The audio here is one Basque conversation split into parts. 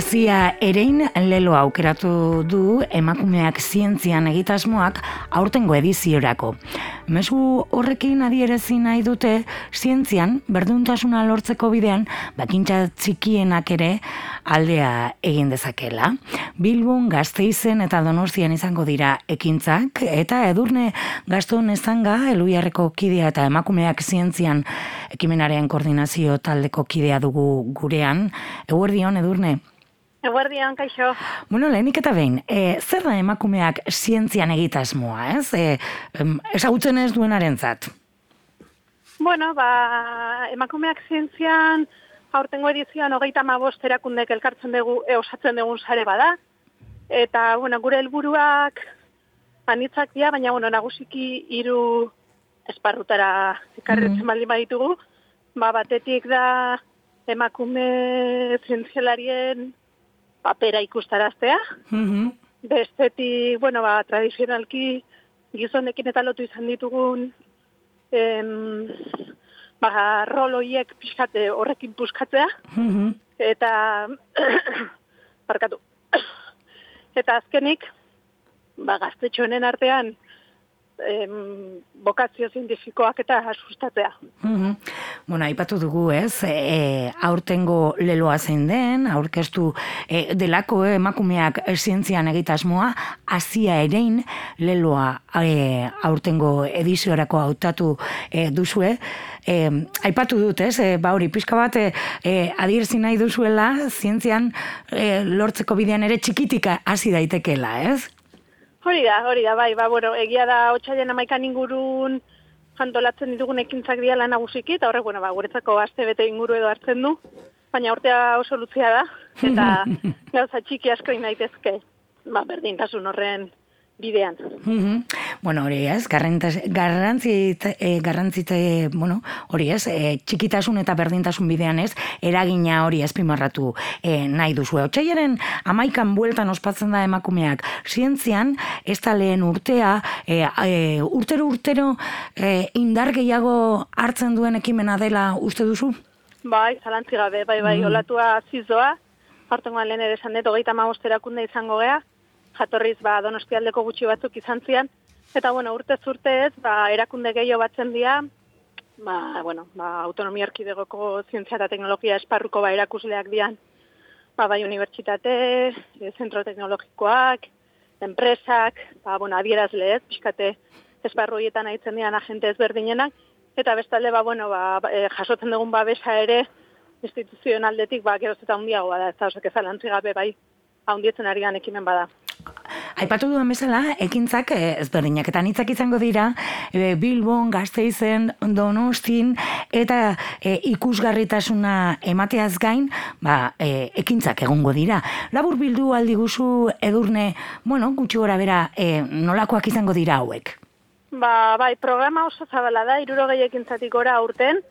Azia erein lelo aukeratu du emakumeak zientzian egitasmoak aurtengo ediziorako. Mezu horrekin adierezi nahi dute zientzian berdintasuna lortzeko bidean bakintza txikienak ere aldea egin dezakela. Bilbon, Gasteizen eta Donostian izango dira ekintzak eta Edurne Gaston Ezanga, Eluiarreko kidea eta emakumeak zientzian ekimenaren koordinazio taldeko kidea dugu gurean. Eguerdion, Edurne. Eguerdion, kaixo. Bueno, lehenik eta behin, zer da emakumeak zientzian egitasmoa, ez? Ezagutzen ez duenarentzat. Bueno, emakumeak zientzian aurtengo edizioan 35 erakundek elkartzen dugu, osatzen dugun sare bada. Eta, bueno, gure helburuak anitzak dira, baina, bueno, nagusiki 3 esparrutara ekarritzen baldin baditugu. Batetik da emakume zientzialarien papera ikustaraztea. Bestetik, bueno, tradizionalki gizonekin eta lotu izan ditugun rol horiek pixkate horrekin puskatzea. Eta barkatu. Eta azkenik, gaztetxo honen artean bokazio zientifikoak eta sustatzea. Bueno, aipatu dugu, ez? Aurtengo leloa zein den, aurkeztu delako emakumeak zientzian egitasmoa, Azia erein leloa aurtengo ediziorako hautatu duzue. Aipatu dut, ez? Hori, pixka bat adierzi nahi duzuela, zientzian lortzeko bidean ere txikitik hasi daitekela, ez? Hori da, bai, bueno, egia da otsailaren 11 ingurun antolatzen ditugun ekintzak dira nagusiki, eta horrek, bueno, guretzako astebete inguru edo hartzen du, baina urtea oso luzea da, eta gauza txiki asko daitezke, berdintasun horren bidean. Bueno, hori ez, garrantzite, bueno, hori ez, txikitasun eta berdintasun bidean ez, eragina hori azpimarratu nahi duzu. Otsailaren 11 bueltan ospatzen da emakumeak zientzian, ez da lehen urtea, urtero indar gehiago hartzen duen ekimena dela uste duzu? Bai, zalantzi gabe, bai, olatua zizoa, hartengoan lehen ere esan dut, 35 erakunde izango gea, jatorriz Donostialdeko gutxi batzuk izan zian, eta bueno, urtez urtez erakunde gehiago batzen dira, autonomia erkidegoko zientzia eta teknologia esparruko erakusleak dian, bai unibertsitate, zentro teknologikoak, enpresak, adierazle ez, pixkate esparru horietan aitzen dian agente ezberdinenak, eta bestalde jasotzen dugun babesa ere instituzionaldetik geroz eta handiagoa da, ez da, osake zalantzi gabe bai, handietzen ari gan ekimen bada. Aipatu duen bezala, ekintzak ezberdinak eta anitzak izango dira Bilbon, Gasteizen, Donostin eta ikusgarritasuna emateaz gain, ekintzak egongo dira. Labur bildu aldi guzu, Edurne, gutxi gora bera, nolakoak izango dira hauek? Bai, programa oso zabala da, 60 ekintzatik gora aurten,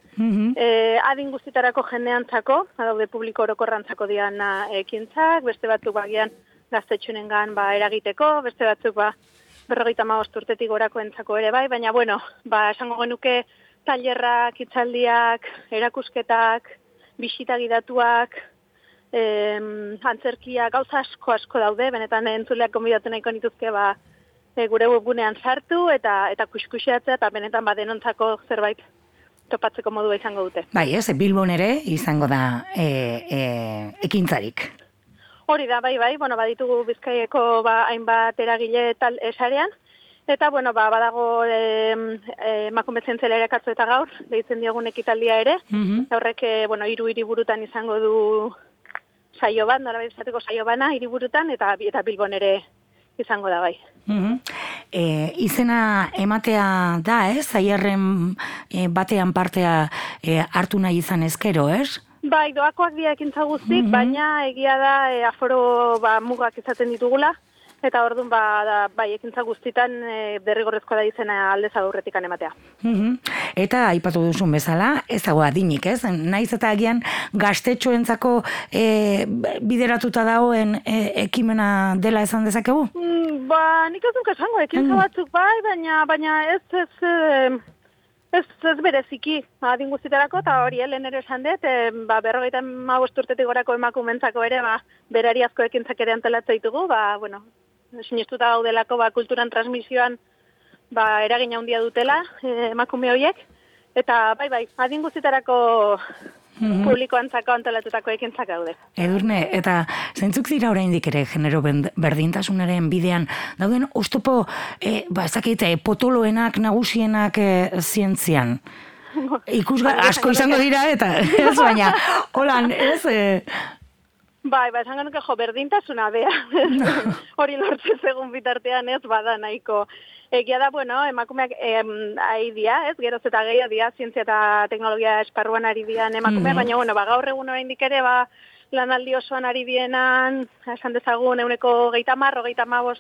adin guztitarako jendeantzako, daude publiko orokorrantzako dian ekintzak, beste batzuk bagian gaztetxunengan eragiteko, beste batzuk 55 urtetik gorako entzako ere bai, baina esango genuke tailerrak, hitzaldiak, erakusketak, bisita gidatuak, antzerkiak, gauza asko daude, benetan entzuleak gonbidatu nahiko nituzke gure webgunean sartu eta kuskusiatzea eta benetan denontzako zerbait topatzeko modua izango dute. Bai, ez, Bilbon ere izango da ekintzarik. Hori da, bai, baditugu Bizkaieko hainbat eragile tal esarean, eta, badago emakume zientzialari akatzu eta gaur, deitzen diogun ekitaldia ere, horrek, 3 hiriburutan izango du saio bat, norabait esateko saio bana, hiriburutan, eta Bilbon ere izango da, bai. Izena ematea da, ez? Zaiarren batean partea hartu nahi izan ezkero, ez? Bai, doakoak dira ekintza guztik, baina egia da aforo mugak izaten ditugula, eta orduan ekintza guztitan derrigorrezkoa da izena aldez aurretik ematea. Eta aipatu duzun bezala, ez dago adinik, ez? Naiz eta agian gaztetxoentzako bideratuta dagoen ekimena dela esan dezakegu? Nik ez duk esango, ekintza batzuk bai, baina ez Ez bereziki, adin guztietarako, eta hori, lehen ere esan dut, 55 urtetik gorako emakumentzako ere, berari asko ekintzak ere antolatzen ditugu, bueno, sinistuta gaudelako, kulturan transmisioan, eragin handia dutela, emakume horiek, eta bai, adin guztietarako publikoantzako antolatutako ekintzak daude. Edurne, eta zeintzuk dira oraindik ere genero berdintasunaren bidean dauden oztopo, potoloenak, nagusienak zientzian? Asko izango dira, eta ez baina, holan, ez... Esan genuke berdintasuna bea. Hori lortzen segun bitartean ez bada nahiko. Egia da, emakumeak ari dira, ez, geroz eta gehiago dira, zientzia eta teknologia esparruan ari dian emakumeak, baina, gaur egun oraindik ere, lanaldi osoan ari dienan, esan dezagun, 30-35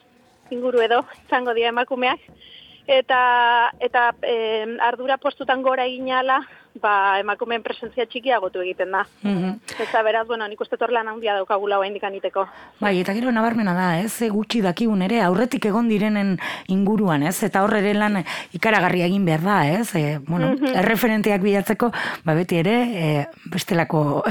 inguru edo, izango dira emakumeak, eta ardura postutan gora eginala, emakumeen presentzia txikiagotu egiten da. Eta beraz, nik uste lan handia daukagula oraindik aniteko. Bai, eta gero nabarmena da, ez, gutxi dakigun ere, aurretik egon direnen inguruan, ez, eta horre lan ikaragarria egin behar da, ez, erreferenteak bilatzeko, beti ere, bestelako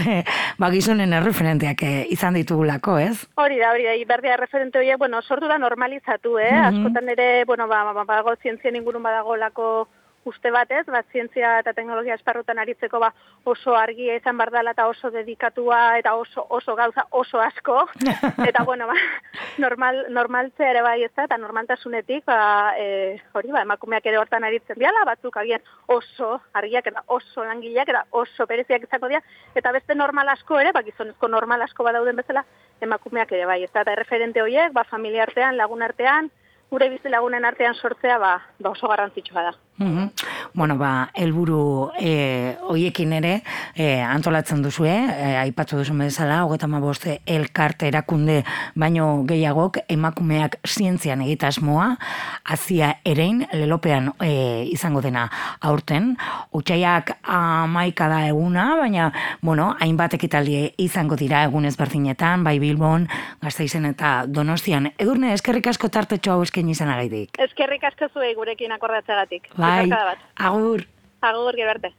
gizonen erreferenteak izan ditugulako, ez? Hori da, berdea erreferente horiek, sortu da normalizatu, askotan ere, badago zientzien ingurun badagolako uste batez, zientzia eta teknologia esparrutan aritzeko oso argia izan bardala eta oso dedikatua eta oso gauza oso asko. Eta normaltzea ere bai ez da, eta normaltasunetik, emakumeak ere hortan aritzen diala, batzuk agian oso argiak eta oso langileak eta oso bereziak izango dira, eta beste normal asko ere, gizonezko normal asko badauden bezala, emakumeak ere bai ez da, eta erreferente horiek, familia artean, lagun artean, gure bizi lagunen artean sortzea oso garrantzitsua da. Helburu hoiekin ere antolatzen duzue, aipatu duzu bezala, 35 elkarte erakunde baino gehiagok emakumeak zientzian egitasmoa, Azia erein, lelopean izango dena aurten, otsaiak 11 da eguna, baina, hainbat ekitaldi izango dira egun ezberdinetan, bai Bilbon, Gasteizen eta Donostian. Edurne, eskerrik asko tartetxo hau eskaini izanagaitik. Eskerrik asko zuei gurekin akordatzeagatik. Bai, agur. Agur, gero arte.